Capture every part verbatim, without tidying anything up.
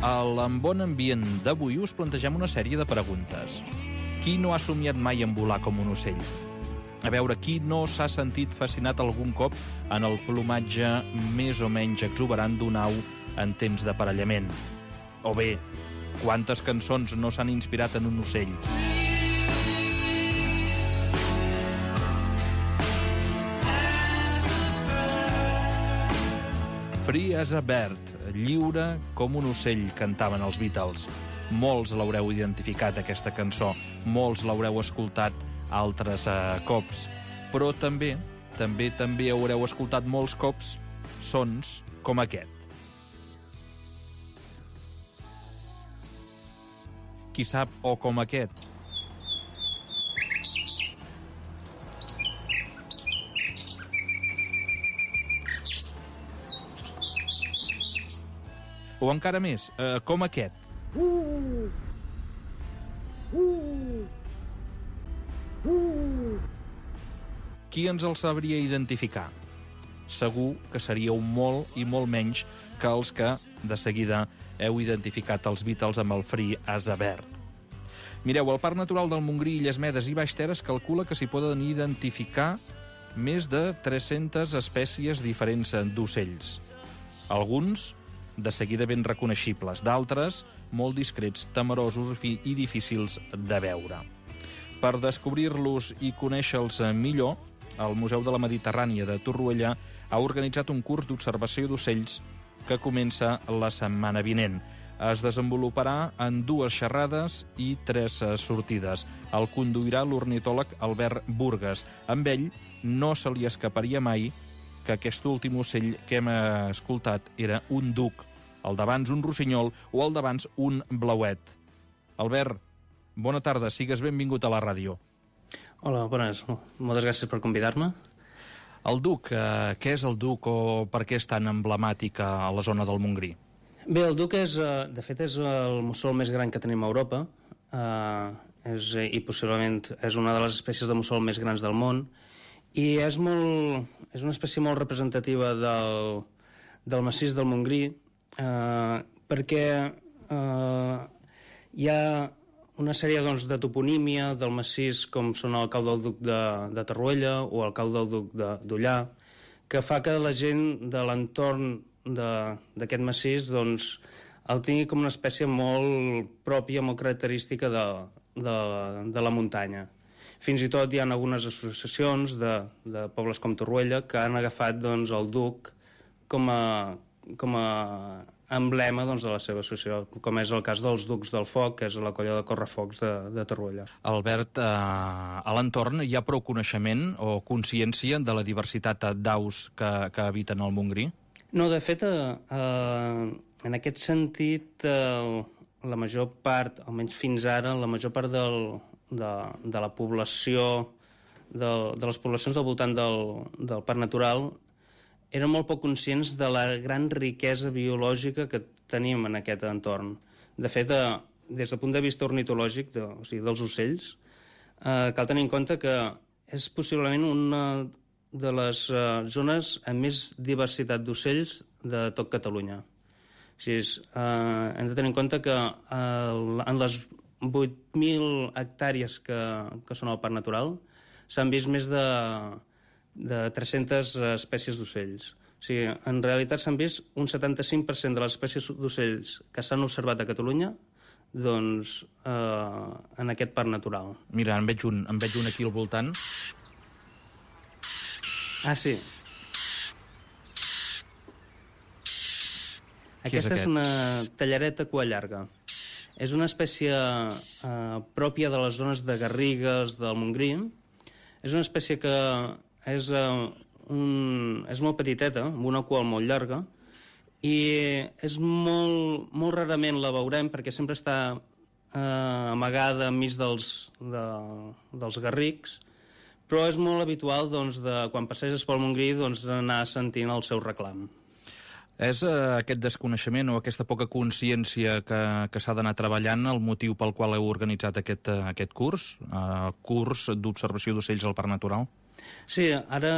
Al Bon Ambient d'avui us plantegem una sèrie de preguntes. Qui no ha somiat mai en volar com un ocell? A veure, qui no s'ha sentit fascinat algun cop en el plomatge més o menys exuberant d'una au en temps d'aparellament? O bé, quantes cançons no s'han inspirat en un ocell? Free as a bird, lliure com un ocell, cantaven els Beatles. Molts l'haureu identificat, aquesta cançó. Molts l'haureu escoltat altres eh, cops. Però també, també, també haureu escoltat molts cops sons com aquest. Qui sap, o com aquest. O encara més, eh, com aquest. Uh! Uh! Uh! Qui ens el sabria identificar? Segur que seríeu molt i molt menys que els que, de seguida, heu identificat els Beatles amb el Free as a Bird. Mireu, el Parc Natural del Montgrí, Illes Medes i Baix Ter es calcula que s'hi poden identificar més de tres-centes espècies diferents d'ocells. Alguns de seguida ben reconeixibles, d'altres molt discrets, temerosos i difícils de veure. Per descobrir-los i conèixer-los millor, el Museu de la Mediterrània de Torroella ha organitzat un curs d'observació d'ocells que comença la setmana vinent. Es desenvoluparà en dues xerrades i tres sortides. El conduirà l'ornitòleg Albert Burgues. Amb ell no se li escaparia mai que aquest últim ocell que hem escoltat era un duc, el d'abans un rossinyol o el d'abans un blauet. Albert, bona tarda, sigues benvingut a la ràdio. Hola, bones. Moltes gràcies per convidar-me. El duc, eh, què és el duc o per què és tan emblemàtic a la zona del Montgrí? Bé, el duc és, de fet, és el mussol més gran que tenim a Europa eh, és, i possiblement és una de les espècies de mussol més grans del món i és, molt, és una espècie molt representativa del, del massís del Montgrí eh, perquè eh, hi ha una sèrie doncs, de toponímia del massís com són el cau del duc de, de Torroella o el cau del duc d'Ullà, que fa que la gent de l'entorn d'aquest massís doncs, el tingui com una espècie molt pròpia, molt característica de, de, de la muntanya. Fins i tot hi ha algunes associacions de, de pobles com Torroella que han agafat doncs, el duc com a, com a emblema doncs, de la seva associació, com és el cas dels Ducs del Foc, que és la colla de correfocs de, de Torroella. Albert, eh, a l'entorn hi ha prou coneixement o consciència de la diversitat d'aus que, que habiten al Montgrí? No, de fet, eh, eh, en aquest sentit, eh, la major part, almenys fins ara, la major part del, de, de la població, de, de les poblacions del voltant del, del Parc Natural, eren molt poc conscients de la gran riquesa biològica que tenim en aquest entorn. De fet, eh, des del punt de vista ornitològic, de, o sigui, dels ocells, eh, cal tenir en compte que és possiblement una de les uh, zones amb més diversitat d'ocells de tot Catalunya. O sigui, uh, hem de tenir en compte que uh, en les vuit mil hectàrees que, que són al Parc Natural s'han vist més de, de tres-centes espècies d'ocells. O sigui, en realitat s'han vist un setanta-cinc per cent de les espècies d'ocells que s'han observat a Catalunya doncs, uh, en aquest Parc Natural. Mira, en veig un, en veig un aquí al voltant. Ah, sí. Aquesta és, és una tallareta cua llarga. És una espècie eh, pròpia de les zones de garrigues del Montgrí. És una espècie que és, eh, un, és molt petiteta, amb una cua molt llarga, i és molt, molt rarament la veurem perquè sempre està eh, amagada enmig dels, de, dels garrics, però és molt habitual doncs, de, quan passeges pel Montgrí doncs, anar sentint el seu reclam. És eh, aquest desconeixement o aquesta poca consciència que, que s'ha d'anar treballant el motiu pel qual heu organitzat aquest, uh, aquest curs, uh, curs d'observació d'ocells al Parc Natural? Sí, ara,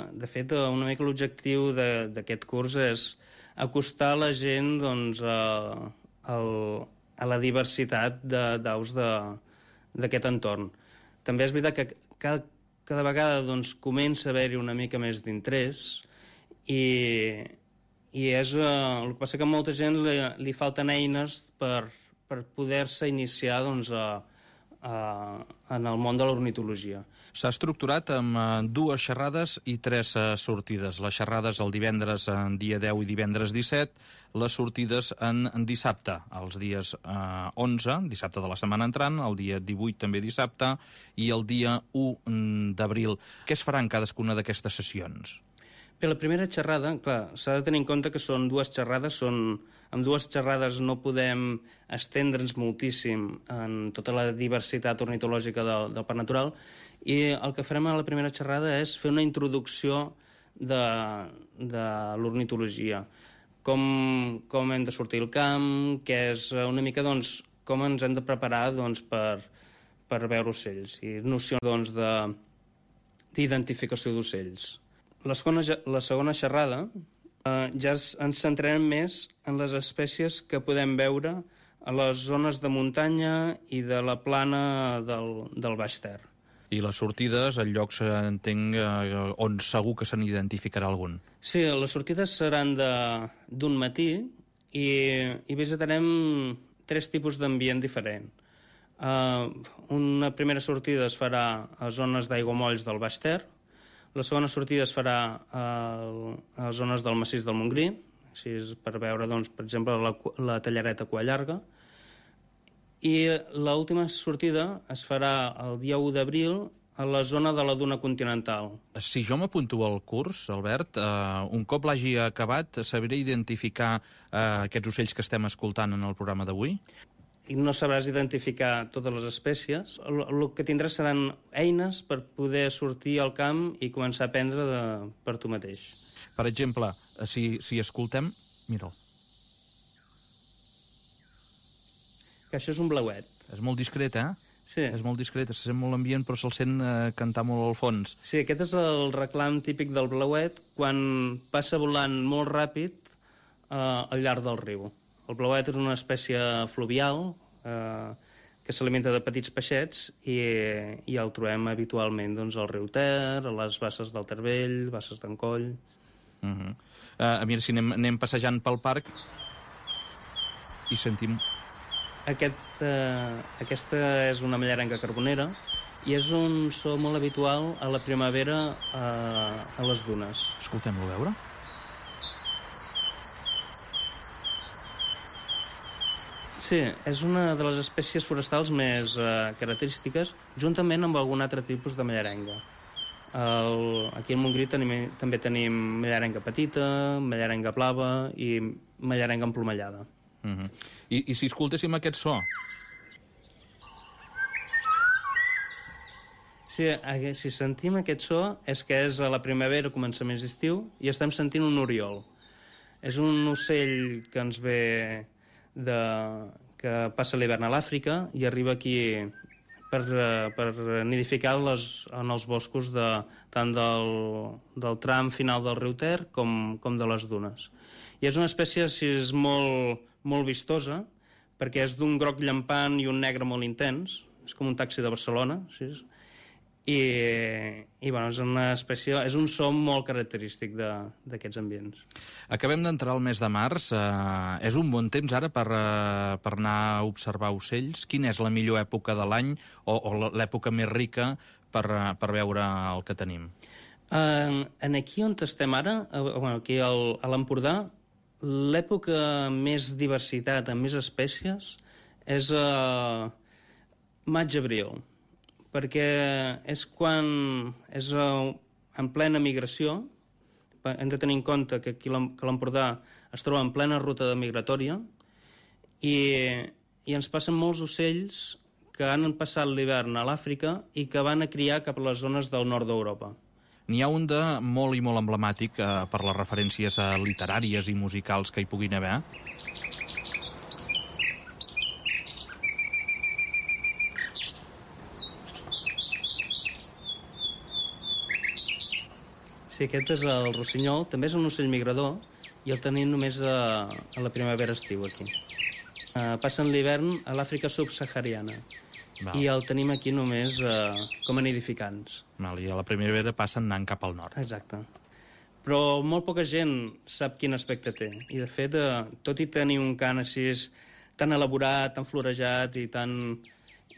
de fet, una mica l'objectiu d'aquest curs és acostar la gent doncs, a, el, a la diversitat d'aus d'aquest entorn. També és veritat que cada, cada vegada doncs, comença a haver-hi una mica més d'interès i, i és, eh, el que passa que a molta gent li, li falten eines per, per poder-se iniciar doncs, a, a, en el món de l'ornitologia. S'ha estructurat amb dues xerrades i tres sortides. Les xerrades el divendres en dia deu i divendres disset, les sortides en dissabte, els dies eh, onze, dissabte de la setmana entrant, el dia divuit també dissabte, i el dia u d'abril. Què es farà en cadascuna d'aquestes sessions? Bé, la primera xerrada, clar, s'ha de tenir en compte que són dues xerrades, són, amb dues xerrades no podem estendre'ns moltíssim en tota la diversitat ornitològica del, del parc natural, i el que farem a la primera xerrada és fer una introducció de, de l'ornitologia. Com, com hem de sortir al camp, què és una mica, doncs, com ens hem de preparar doncs, per, per veure ocells, i nocions doncs, d'identificació d'ocells. La segona, la segona xerrada eh, ja ens centrarem més en les espècies que podem veure a les zones de muntanya i de la plana del, del Baix Ter. I les sortides, en llocs, entenc, eh, on segur que se n'identificarà algun. Sí, les sortides seran d'un matí i, i visitarem tres tipus d'ambient diferent. Uh, una primera sortida es farà a zones d'aiguamolls del Baix Ter, la segona sortida es farà a, a zones del massís del Montgrí, així per veure, doncs, per exemple, la, la tallareta cua llarga, i l'última sortida es farà el dia u d'abril a la zona de la duna continental. Si jo m'apunto al curs, Albert, eh, un cop l'hagi acabat, sabré identificar eh, aquests ocells que estem escoltant en el programa d'avui? I no sabràs identificar totes les espècies. El, el que tindràs seran eines per poder sortir al camp i començar a aprendre de, per tu mateix. Per exemple, si, si escoltem... Mira'l. Que això és un blauet. És molt discret, eh? Sí. És molt discret, se sent molt ambient, però se'l sent eh, cantar molt al fons. Sí, aquest és el reclam típic del blauet quan passa volant molt ràpid eh, al llarg del riu. El blauet és una espècie fluvial eh, que s'alimenta de petits peixets i, i el trobem habitualment doncs, al riu Ter, a les basses del Ter Vell, basses d'Encoll. Uh -huh. uh, mira, si anem, anem passejant pel parc i sentim... Aquest, eh, aquesta és una mallarenga carbonera i és un so molt habitual a la primavera eh, a les dunes. Escoltem-lo a veure. Sí, és una de les espècies forestals més eh, característiques, juntament amb algun altre tipus de mallarenga. El, aquí al Montgrí tenim, també tenim mallarenga petita, mallarenga blava i mallarenga emplomallada. Uh -huh. I, I si escoltéssim aquest so? Sí, si sentim aquest so és que és a la primavera, començaments d'estiu, i estem sentint un oriol. És un ocell que ens ve... De, que passa l'hivern a l'Àfrica i arriba aquí per, per nidificar les, en els boscos de, tant del, del tram final del riu Ter com, com de les dunes. I és una espècie així, molt, molt vistosa perquè és d'un groc llampant i un negre molt intens, és com un taxi de Barcelona, així, i, i bueno, és una espècie, és un so molt característic d'aquests ambients. Acabem d'entrar al mes de març. Eh, és un bon temps ara per, eh, per anar a observar ocells? Quina és la millor època de l'any o, o l'època més rica per, per veure el que tenim? En, en aquí on estem ara, bueno, aquí al, a l'Empordà, l'època més diversitat, amb més espècies, és a maig-abril, perquè és quan és en plena migració. Hem de tenir en compte que aquí que l'Empordà es troba en plena ruta migratòria i, i ens passen molts ocells que han passat l'hivern a l'Àfrica i que van a criar cap a les zones del nord d'Europa. N'hi ha un de molt i molt emblemàtic eh, per les referències eh, literàries i musicals que hi puguin haver. Sí, aquest és el rossinyol, també és un ocell migrador i el tenim només a, a la primavera-estiu aquí. Uh, passen l'hivern a l'Àfrica subsahariana. Val. I el tenim aquí només uh, com a nidificants. Val, I a la primavera passen anant cap al nord. Exacte. Però molt poca gent sap quin aspecte té. I, de fet, uh, tot i tenir un cant així tan elaborat, tan florejat i tan,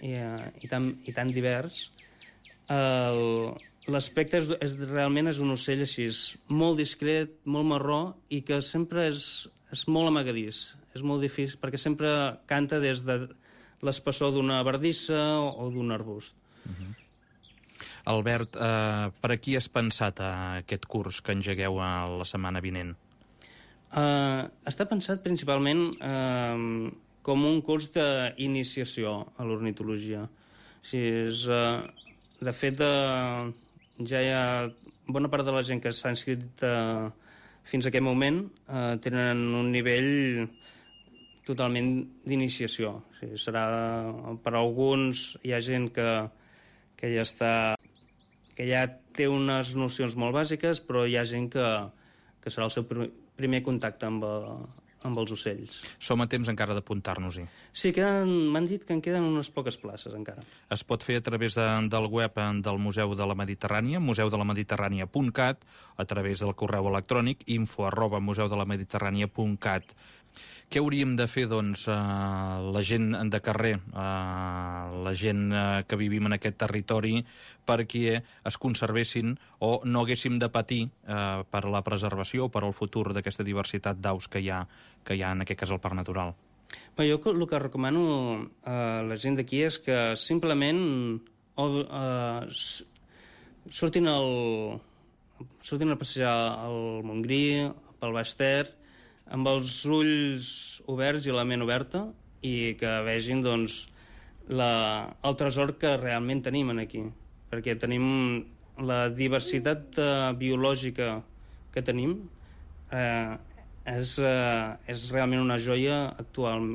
i, uh, i tan, i tan divers, uh, l'aspecte és, és, realment és un ocell així molt discret, molt marró, i que sempre és, és molt amagadís. És molt difícil, perquè sempre canta des de l'espessor d'una bardissa o d'un arbust. Uh-huh. Albert, eh, per a qui has pensat eh, aquest curs que engegueu la setmana vinent? Uh, està pensat principalment uh, com un curs d'iniciació a l'ornitologia. O sigui, és, uh, de fet, uh, ja hi ha bona part de la gent que s'ha inscrit uh, fins a aquest moment uh, tenen un nivell totalment d'iniciació. O sigui, serà, per a alguns hi ha gent que, que ja està, que ja té unes nocions molt bàsiques, però hi ha gent que, que serà el seu primer contacte amb, amb els ocells. Som a temps encara d'apuntar-nos-hi. Sí, que m'han dit que en queden unes poques places encara. Es pot fer a través de, del web del Museu de la Mediterrània, museu de la mediterrània punt cat, a través del correu electrònic info arroba museu de la mediterrània punt cat. Què hauríem de fer, doncs, eh, la gent de carrer, eh, la gent eh, que vivim en aquest territori, perquè es conservessin o no haguéssim de patir eh, per la preservació o per al futur d'aquesta diversitat d'aus que hi ha, que hi ha en aquest cas al Parc Natural? Bé, jo el que recomano a la gent d'aquí és que simplement o, eh, surtin, el, surtin a passejar al Montgrí, pel Baix Ter, amb els ulls oberts i la ment oberta, i que vegin, doncs, la, el tresor que realment tenim aquí. Perquè tenim la diversitat eh, biològica que tenim, eh, és, eh, és realment una joia actual,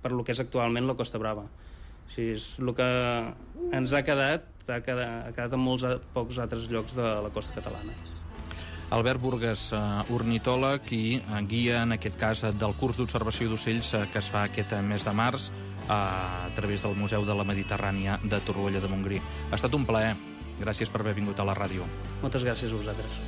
per lo que és actualment la Costa Brava. O sigui, és el que ens ha quedat, ha quedat, ha quedat en molts pocs altres llocs de la costa catalana. Albert Burgues, uh, ornitòleg i uh, guia, en aquest cas, del curs d'observació d'ocells uh, que es fa aquest mes de març uh, a través del Museu de la Mediterrània de Torroella de Montgrí. Ha estat un plaer. Gràcies per haver vingut a la ràdio. Moltes gràcies a vosaltres.